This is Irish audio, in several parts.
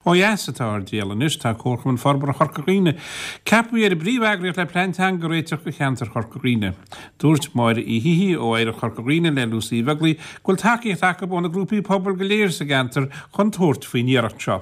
Ó dheas atá ár dtriall anois. Tá Comharchumann Forbartha Chorca Dhuibhne ceaptha ar an bpríomh-eagraíocht le plean teanga a réiteach do cheantar Chorca Dhuibhne. Dúirt Máire Uí hÍthí ó Oidhreacht Chorca Dhuibhne le Lucy Uí Bheaglaoi go bhfuil tacaíocht acu ó na grúpaí pobail go léir sa gceantar chun tabhairt faoin iarracht seo.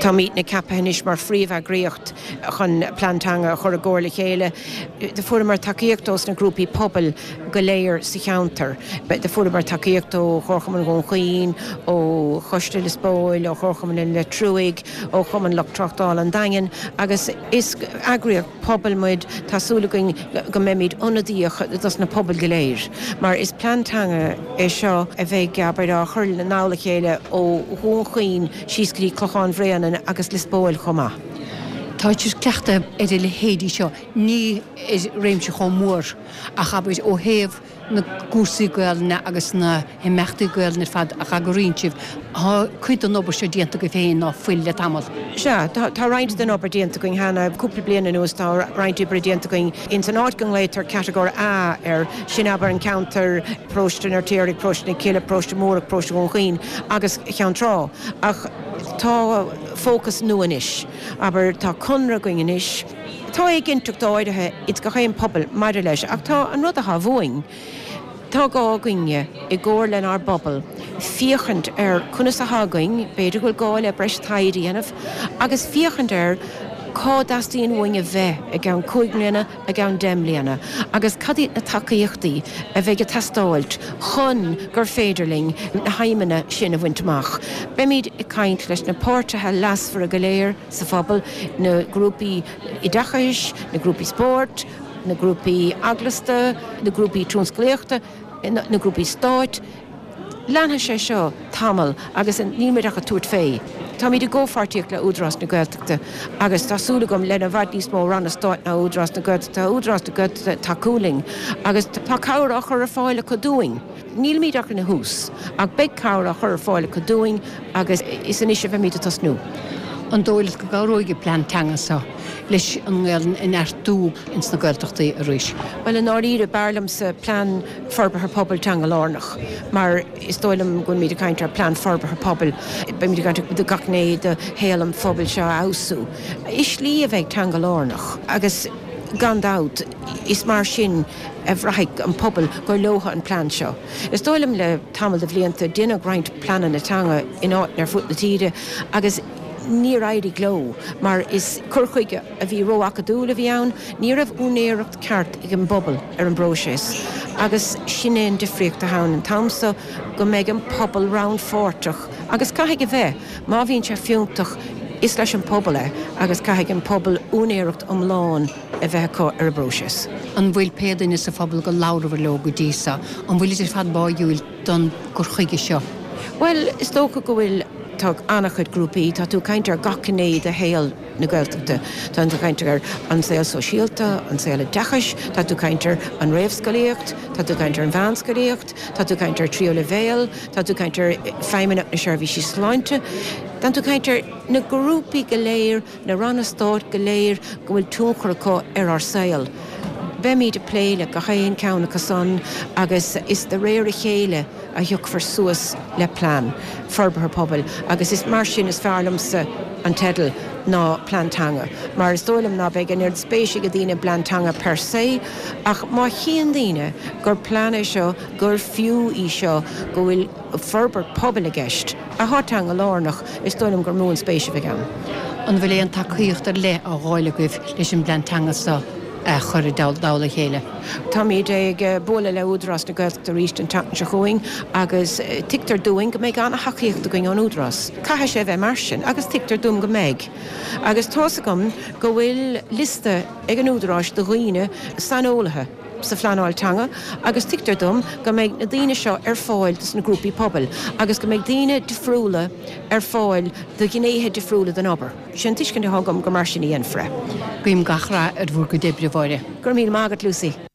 Táimidne ceaptha anois mar phríomh-eagraíocht chun plean teanga a chur i gcomhar le chéile. Do fuaireamar tacaíocht ós na grúpaí pobail go léir sa cheantar. Do fuaireamar tacaíocht ó Chomharchumann Dhún Chaoin, ó Choiste Lios Póil, ó Chomharchumann an Leitriúigh, ó Chumann Lucht Tráchtála an Daingin agus is eagraíocht pobail muid. Tá súil againn go mbeimid ionadaíoch dos na pobail go léir mar is plean teanga é seo a bheidh, abair, á chur i dtoll a chéile ó Dhún Chaoin síos go dtí Clochán Bhréanainn agus Lios Póil chomh maith. Tá sibh cleachtaithe ar a leithéidí seo, ní ar réimse chomh mór ach abair ó thaobh na gcúrsaí Gaelainne agus na himeachtaí Gaelainne ar fad a eagraíonn sibh. Tá cuid den obair seo déanta agaibh féin ná fuil le tamall. Sea, tá roinnt den obair déanta againn cheana. Cúpla bliain anuas tá roinnt oibre déanta againn ins an áit go nglaotar Catagóir A air, sin abair an ceantar, Paróiste an Fheirtéaraigh, Paróiste na Cille, Paróiste Múrach, Paróiste Dhún Chaoin agus Cheann Trá. Ach tá fócas nua anois. Abair, tá conradh againn anois. Tá éiginnteacht áirithe ins gach aon pobal maidir leis ach tá an rud atá uainn, tá gá againne, i gcomhar lenár bpobal, féachaint ar conas atá againn, b'fhéidir go bhfuil gá le breis taighde a dhéanamh, agus féachaint ar cá dteastaíonn uainn a bheith i gceann cúig mbliana, i gceann deich mbliana agus cad iad na tacaíochtaí a bheidh ag teastáilt chun gur féidir linn na haidhmeanna sin a bhaint amach. Beimid ag caint leis na páirtithe leasmhara go léir sa phobal, na grúpaí oideachais, na grúpaí spóirt, na grúpaí eaglasta, na grúpaí tionsclaíochta, na grúpaí stáit. Leanfaidh sé seo tamall agus níl muid ach ag tabhairt fé. Táimid i gcomhpháirtíocht le Údarás na Gaeltachta agus tá súil agam le i bhfad níos mó ranna stáit ná Údarás na Gaeltachta, tá Údarás na Gaeltachta ag tacú linn agus tá cabhair á chur ar fáil acu dúinn. Nílimid ach ina thús ach beidh cabhair á chur ar fáil acu dúinn agus is anois a bheimid ag tosnú. An dóigh leat go gcabhróidh an plean teanga seo leis an nGaelainn a neartú ins na Gaeltachtaí arís? Bhuel i ndáiríre b'fhearr liomsa plean forbartha pobail teanga-lárnach, mar is dóigh liom go bhfuilimid ag caint ar plean forbartha pobail, beimid ag caint ar gach gné de shaol an phobail seo a fheabhsú i slí a bheidh teanga-lárnach agus gan dabht is mar sin a bhraithfidh an pobal gur leo an plean seo. Is dóigh liom le tamall de bhlianta deineadh roinnt pleananna teanga in áiteanna ar fud na tíre agus níor éirigh leo mar is cur chuige a bhí ró-acadúil a bhí ann, ní raibh úinéireacht ceart ag an bpobal ar an bpróiseas agus sin é an difríocht atá ann an t-am so go mbeidh an pobal rannpháirteach agus caithfidh a bheith, má bhíonn sé fiúntach is leis an pobal é agus caithfidh an pobal úinéireacht iomlán a bheith acu ar an bpróiseas. An bhfuil pé duine sa phobal go labhrabhair leo go dtí so, an bhfuilid ar fad báidhiúil don gcur chuige seo? Bhuel, is dócha go bhfuil. Tá an-chuid grúpaí, tá tú ag caint ar gach gné de shaol na Gaeltachta. Tá tú ag caint ar an saol sóisialta, an saol oideachais, tá tú ag caint ar an réamhscolaíocht, tá tú ag caint ar an mheánscolaíocht, tá tú ag caint ar tríú leibhéal, tá tú ag caint ar Feidhmeannacht na Seirbhísí Sláinte, tá tú ag caint ar na grúpaí go léir, na ranna stáit go léir go bhfuil tionchar acu ar ár saol. Beimid ag plé le gach aon ceann acu san agus is de réir a chéile a thiocfar suas le plean forbartha pobail agus is mar sin is fearr liomsa an teideal ná plean teanga mar is dóigh liom ná beidh an oiread spéise ag daoine i bplean teanga per se ach má chíonn daoine gur plean é seo gur fiú í seo go bhfuil forbairt pobail i gceist athá teanga lárnach is dóigh liom gur mó an spéis a bheidh ann. An bhfuil aon tacaíocht ar leith á dh'fháil agaibh leis an bplean teanga seo a chur i dtoll a chéile? Táimid ag bualadh le Údarás na Gaeltachta arís an tseachtain seo chugainn agus tuigtear dúinn go mbeidh an-thacaíocht againn ón Údarás. Caithfidh sé a bheith mar sin agus tuigtear dúinn go mbeidh. Agus tá's agam go bhfuil liosta ag an Údaráis de dhaoine, saineolaithe sa phleanáil teanga agus tuigtear dom go mbeidh na daoine seo ar fáil dos na grúpaí pobail agus go mbeidh daoine difriúla ar fáil do ghnéithe difriúla den obair. Sin an tuiscint atá agam gur mar sin a dhéanfar é. Guím gach rath ar bhur gcuid oibre, a Mháire. Go raibh míle maith agat, Lucy.